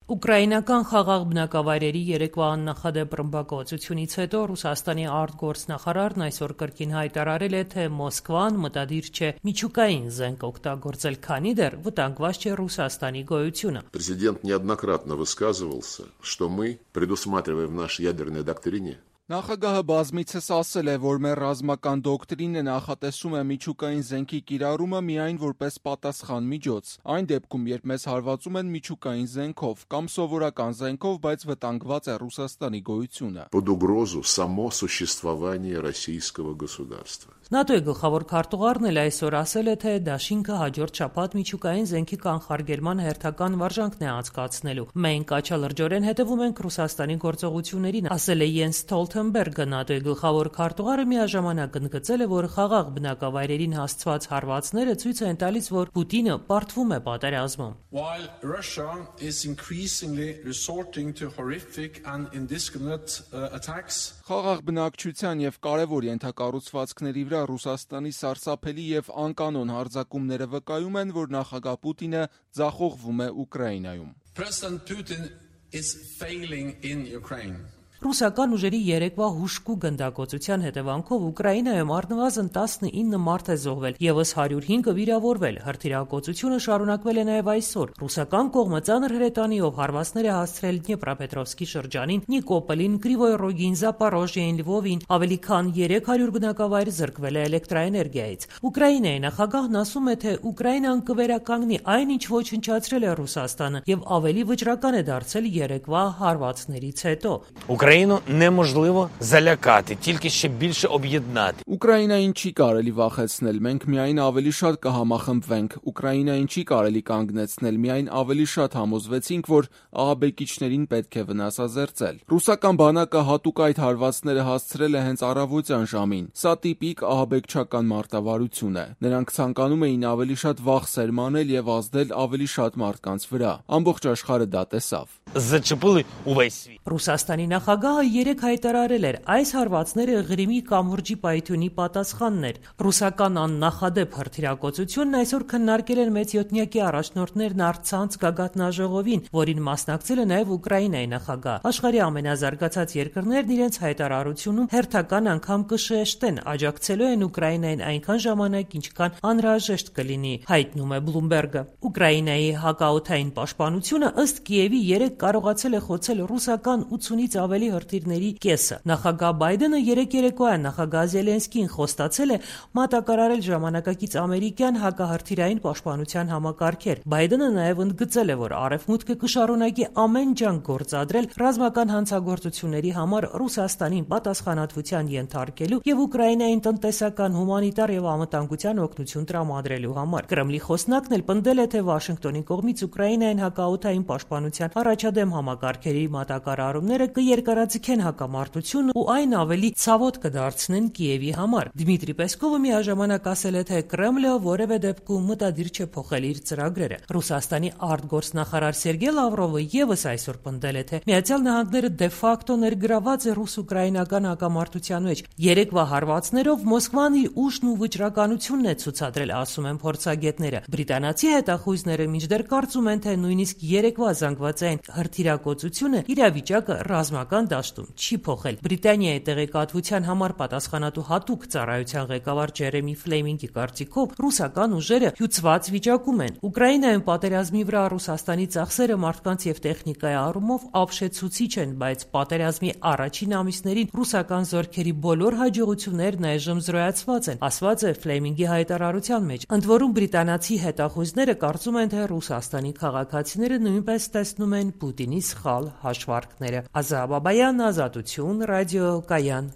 Ուկրաինական խաղաղ բնակավայրերի երեկվա աննախադեպ ռմբակոծությունից հետո Ռուսաստանի արտգործնախարարն այսօր կրկին հայտարարել է, թե Մոսկվան մտադիր չէ միջուկային զենք օգտագործել, քանի դեռ վտանգված չէ Ռուսաստանի գոյությունը։ Президент неоднократно высказывался, что мы предусматриваем в нашей ядерной доктрине. Նախագահը բազմիցս ասել է, որ մեր ռազմական դոկտրինը նախատեսում է միջուկային զենքի կիրառումը միայն որպես պատասխան միջոց, այն դեպքում, երբ մեզ հարվածում են միջուկային զենքով կամ սովորական զենքով, բայց վտանգված է Ռուսաստանի գոյությունը։ Под угрозу само существование российского государства. ՆԱՏՕ-ի գլխավոր քարտուղարն էլ այսօր ասել է, թե դաշինքը հաջորդ շաբաթ միջուկային զենքի կանխարգելման հերթական վարժանքն է անցկացնելու։ Մենք աչալրջորեն հետևում ենք Ռուսաստանի գործողություններին, ասել է Յենս Ստոլթենբերգը։ ՆԱՏՕ-ի գլխավոր քարտուղարը միաժամանակ ընդգծել է, որ խաղաղ բնակավայրերին հասցված հարվածները ցույց են տալիս, որ Պուտինը պարտվում է պատերազմում։ While Russia is increasingly resorting to horrific and indiscriminate attacks, խաղաղ բնակչության եւ կարեւոր ենթակառուցվածքների վրա Ռուսաստանի սարսափելի եւ անկանոն հարձակումները վկայում են, որ նախագահ Պուտինը ձախողվում է Ուկրաինայում։ President Putin is failing in Ukraine. Ռուսական ուժերի երեկվա հուժկու գնդակոծության հետևանքով Ուկրաինայում առնվազն 19 մարդ է զոհվել, եւս 105-ը վիրավորվել։ Հրթիռակոծությունը շարունակվել է նաեւ այսօր։ Ռուսական կողմը ծանր հրետանիով հարվածներ է հասցրել Դնեպրոպետրովսկի շրջանին, Նիկոպոլին, Կրիվոյ Ռոգին, Զապարոժիային, Լվովին, ավելի քան 300 բնակավայր զրկվել է էլեկտրաէներգիայից։ Ուկրաինայի նախագահն ասում է, թե Ուկրաինան կվերականգնի այն, ինչ ոչնչացրել է Ռուսաստանը, եւ ավելի վճռական է դարձել երեկվա հարվածներից հետո։ Україну неможливо залякати, тільки ще більше об'єднати. Ուկրաինային չի կարելի վախեցնել, մենք միայն ավելի շատ կհամախմբվենք։ Ուկրաինային չի կարելի կանգնեցնել, միայն ավելի շատ համոզվեցինք, որ ահաբեկիչներին պետք է վնասազերծել։ Ռուսական բանակը հատուկ այդ հարվածները հասցրել է հենց առավոտյան ժամին։ Սա տիպիկ ահաբեկչական մարտավարություն է։ Նրանք ցանկանում էին ավելի շատ վախ սերմանել եւ ազդել ավելի շատ մարդկանց վրա։ Ամբողջ աշխարհը դա տեսավ։ Зачепили увесь світ. Ռուսաստանի նախագահը երեկ հայտարարել էր, այս հարվածները Ղրիմի կամուրջի պայթյունի պատասխանն էր։ Ռուսական աննախադեպ հրթիռակոծությունն այսօր քննարկել են մեծ յոթնյակի առաջնորդներն առցանց գագաթնաժողովին, որին մասնակցել է նաև Ուկրաինայի նախագահ։ Աշխարհի ամենազարգացած երկրներն իրենց հայտարարությունում հերթական անգամ կշեշտեն, աջակցելու են Ուկրաինային այնքան ժամանակ, ինչքան անհրաժեշտ կլինի, հայտնում է Բլումբերգը։ Ուկրաինայի հակաօդային պաշտպանությունը ըստ Կիևի երեկ կարողացել է խոցել ռուսական 80-ից ավելի հրթիռների կեսը։ Նախագահ Բայդենը երեկ երեկոյան նախագահ Զելենսկին խոստացել է մատակարարել ժամանակակից ամերիկյան հակահրթիռային պաշտպանության համակարգեր։ Բայդենը նաև ընդգծել է, որ Արևմուտքը կշարունակի ամեն ջանք գործադրել ռազմական հանցագործությունների համար Ռուսաստանին պատասխանատվության ենթարկելու եւ Ուկրաինային տնտեսական, հումանիտար եւ անվտանգության օգնություն տրամադրելու համար։ Կրեմլի խոսնակն էլ պնդել է, թե Վաշինգտոնի կողմից Ուկրաինային հակաօդային պաշտպանության առաջադեմ համակարգերի մատակարարումները կերկարաձգեն հակամարտությունը ու այն ավելի ցավոտ կդարձնեն Կիևի համար։ Դմիտրի Պեսկովը միաժամանակ ասել է, թե Կրեմլը որևէ դեպքում մտադիր չէ փոխել իր ծրագրերը։ Ռուսաստանի արտգործնախարար Սերգեյ Լավրովը եւս այսօր պնդել է, թե Միացյալ Նահանգները դե-ֆակտո ներգրաված է ռուս-ուկրաինական հակամարտության մեջ։ Երեկվա հարվածներով Մոսկվան իր ուժն ու վճռականությունն է ցուցադրել, ասում են փորձագետները։ Բրիտանացի հետախույզները մինչդեռ կարծում են, թե նույնիսկ երեկվա զանգվածային հրթիռակոծությունը իրավիճակը ռազմական դաշտում չի փոխել։ Բրիտանիայի տեղեկատվության համար պատասխանատու հատուկ ծառայության ղեկավար Ջերեմի Ֆլեմինգի կարծիքով ռուսական ուժերը հյուծված վիճակում են։ Ուկրաինայում պատերազմի վրա Ռուսաստանի ծախսերը մարդկանց եւ տեխնիկայի առումով ապշեցուցիչ են, բայց պատերազմի առաջին ամիսներին ռուսական զորքերի բոլոր հաջողություններն այժմ զրոյացված են, ասված է Ֆլեմինգի հայտարարության մեջ։ Ընդ որում բրիտանացի հետախույզները կարծում են, թե Ռուսաստանի քաղաքացիները նույնպես տեսնում են Պուտինի սխալ հաշվարկները։ Ազա Բաբայան, Ազատություն, ռադիո Կայան։